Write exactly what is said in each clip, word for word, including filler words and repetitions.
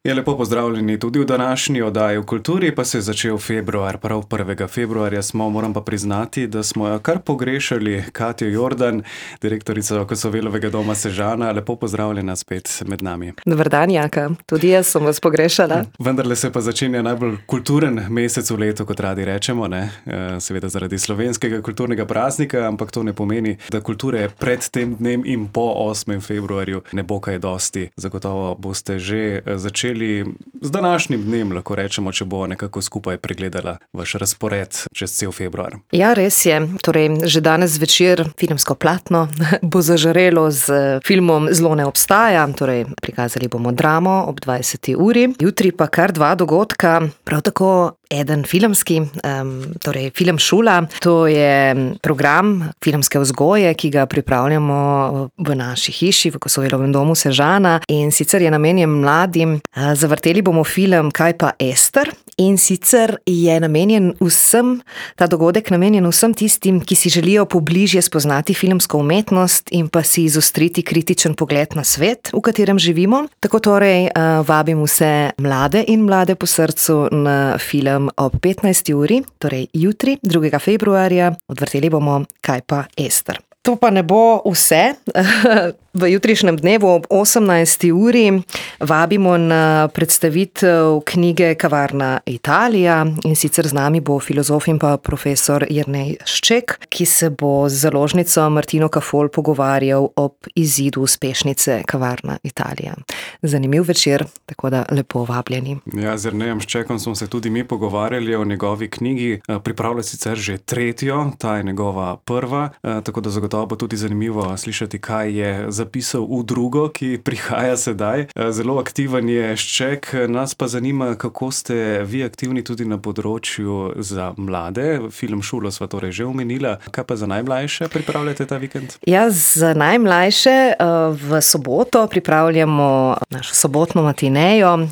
Je lepo pozdravljeni tudi v današnji oddaji v kulturi, pa se je začel februar, prav prvega februarja smo, moram pa priznati, da smo jo kar pogrešali. Katjo Jordan, direktorica Kosovelovega doma Sežana, lepo pozdravljena spet med nami. Dober dan, Jaka, tudi jaz sem vas pogrešala. Vendarle se pa začenja najbolj kulturen mesec v letu, kot radi rečemo, ne? Seveda zaradi slovenskega kulturnega praznika, ampak to ne pomeni, da kulture pred tem dnem in po osmem februarju ne bo kaj dosti. Zagotovo boste že začeli z današnjim dnem, lahko rečemo, če bo nekako skupaj pregledala vaš razpored čez cel februar. Ja, res je. Torej, že danes zvečer filmsko platno bo zažarelo z filmom Zlo ne obstaja, torej prikazali bomo dramo ob dvajseti uri. Jutri pa kar dva dogodka, prav tako eden filmski, um, torej Film Šula. To je program filmske vzgoje, ki ga pripravljamo v naši hiši, v Kosovelovem domu Sežana, in sicer je namenjen mladim. Zavrteli bomo film Kaj pa Ester, in sicer je namenjen vsem, ta dogodek namenjen vsem tistim, ki si želijo pobližje spoznati filmsko umetnost in pa si izostriti kritičen pogled na svet, v katerem živimo. Tako torej vabim vse mlade in mlade po srcu na film ob petnajsti uri, torej jutri, drugega februarja. Odvrteli bomo Kaj pa Ester. To pa ne bo vse. V jutrišnjem dnevu ob osemnajsti uri vabimo na predstavitev knjige Kavarna Italija, in sicer z nami bo filozof in pa profesor Jernej Šček, ki se bo z založnico Martino Kafol pogovarjal ob izidu uspešnice Kavarna Italija. Zanimiv večer, tako da lepo vabljeni. Ja, z Jernejem Ščekom smo se tudi mi pogovarjali o njegovi knjigi. Pripravlja sicer že tretjo, ta je njegova prva, tako da zagotovo bo tudi zanimivo slišati, kaj je zapisal v drugo, ki prihaja sedaj. Zelo aktiven je Šček, nas pa zanima, kako ste vi aktivni tudi na področju za mlade. Film Šulo sva torej že omenila. Kaj pa za najmlajše pripravljate ta vikend? Ja, za najmlajše v soboto pripravljamo našo sobotno matinejo,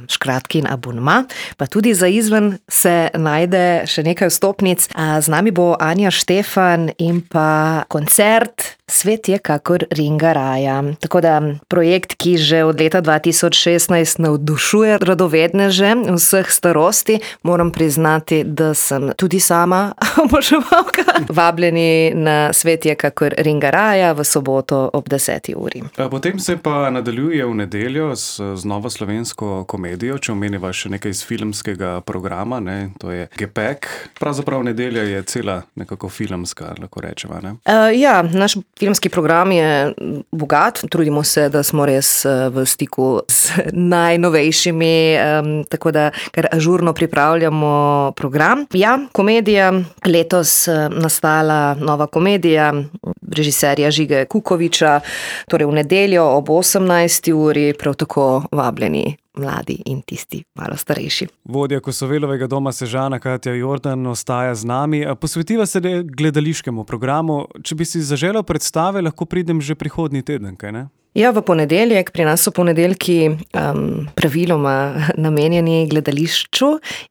Škratkin abonma, pa tudi za izven se najde še nekaj vstopnic. Z nami bo Anja Štefan in pa koncert Svet je kakor ringa raja. Tako da projekt, ki že od leta dva tisoč šestnajst navdušuje radovedneže vseh starosti, moram priznati, da sem tudi sama oboževalka. Vabljeni na Svet je kakor ringa raja v soboto ob deseti uri. Potem se pa nadaljuje v nedeljo z, z novo slovensko komedijo, če omeniva še nekaj iz filmskega programa, ne? To je Gepek. Pravzaprav nedelja je cela nekako filmska, lahko rečeva, ne? Uh, ja, naš filmski program je bogat, trudimo se, da smo res v stiku z najnovejšimi, um, tako da kar ažurno pripravljamo program. Ja, komedija, letos nastala nova komedija režiserja Žige Kukoviča, torej v nedeljo ob osemnajsti uri, prav tako vabljeni mladi in tisti malo starejši. Vodja Kosovelovega doma Sežana Katja Jordan ostaja z nami. Posvetiva se gledališkemu programu. Če bi si zaželel predstave, lahko pridem že prihodnji teden, kaj ne? Ja, v ponedeljek, pri nas so ponedeljki um, praviloma namenjeni gledališču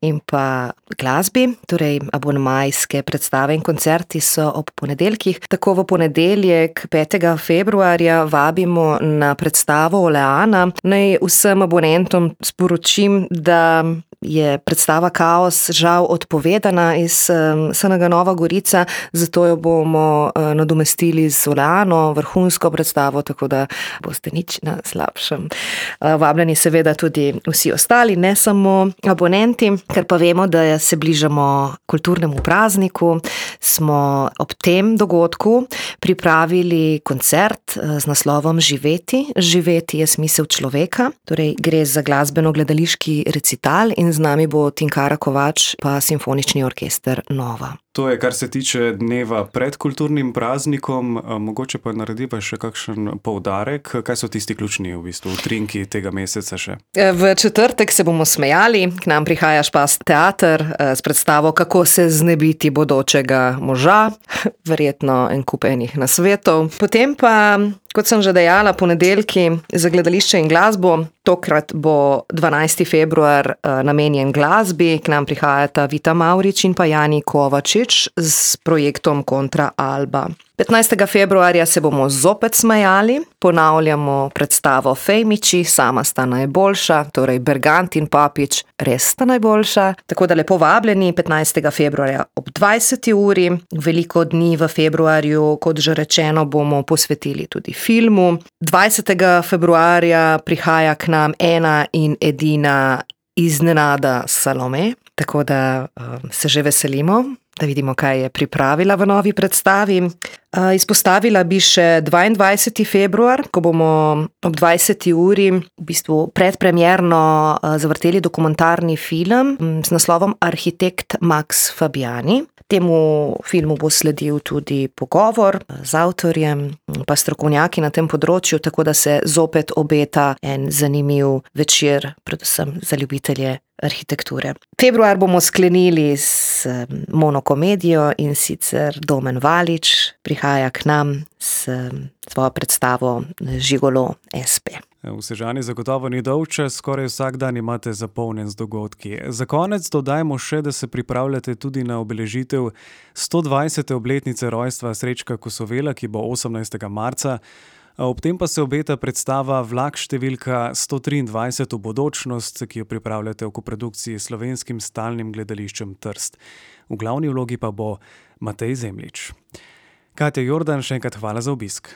in pa glasbi, torej abonmajske predstave in koncerti so ob ponedeljkih. Tako v ponedeljek, petega februarja, vabimo na predstavo Oleana. Naj vsem abonentom sporočim, da je predstava Kaos žal odpovedana iz um, S N G Nova Gorica, zato jo bomo uh, nadomestili z Oleano, vrhunsko predstavo, tako da boste nič na slabšem. Uh, vabljeni seveda tudi vsi ostali, ne samo abonenti, ker pa vemo, da se bližamo kulturnemu prazniku, smo ob tem dogodku pripravili koncert uh, z naslovom Živeti. Živeti je smisel človeka, torej gre za glasbeno-gledališki recital in z nami bo Tinkara Kovač pa Simfonični orkester Nova. To je, kar se tiče dneva pred kulturnim praznikom. Mogoče pa narediva še kakšen poudarek. Kaj so tisti ključni v bistvu utrinki tega meseca še? V četrtek se bomo smejali. K nam prihaja Špas teater s predstavo Kako se znebiti bodočega moža. Verjetno en kup enih nasvetov. Potem pa Kot sem že dejala, ponedeljki za gledališče in glasbo. Tokrat bo dvanajsti februar namenjen glasbi. K nam prihajata Vita Mavrič in pa Jani Kovačič s projektom Kontra Alba. petnajstega februarja se bomo zopet smejali. Ponavljamo predstavo Fejmiči, sama sta najboljša, torej Bergant in Papič res sta najboljša. Tako da lepo vabljeni petnajstega februarja ob dvajseti uri. Veliko dni v februarju, kot že rečeno, bomo posvetili tudi filmu. dvajsetega februarja prihaja k nam ena in edina Iznenada Salome, tako da um, se že veselimo, da vidimo, kaj je pripravila v novi predstavi. Uh, izpostavila bi še dvaindvajseti februar, ko bomo ob dvajseti uri v bistvu predpremierno uh, zavrteli dokumentarni film um, s naslovom Arhitekt Max Fabiani. Temu filmu bo sledil tudi pogovor z avtorjem pa strokovnjaki na tem področju, tako da se zopet obeta en zanimiv večer, predvsem za ljubitelje arhitekture. Februar bomo sklenili s monokomedijo, in sicer Domen Valič prihaja k nam s svojo predstavo Žigolo es pe. V Sežani zagotovo ni dolgčas, skoraj vsak dan imate zapolnjen z dogodki. Za konec dodajmo še, da se pripravljate tudi na obeležitev sto dvajsete obletnice rojstva Srečka Kosovela, ki bo osemnajstega marca. Ob tem pa se obeta predstava Vlak številka sto triindvajset v bodočnost, ki jo pripravljate v koprodukciji s Slovenskim stalnim gledališčem Trst. V glavni vlogi pa bo Matej Zemljič. Katja Jordan, še enkrat hvala za obisk.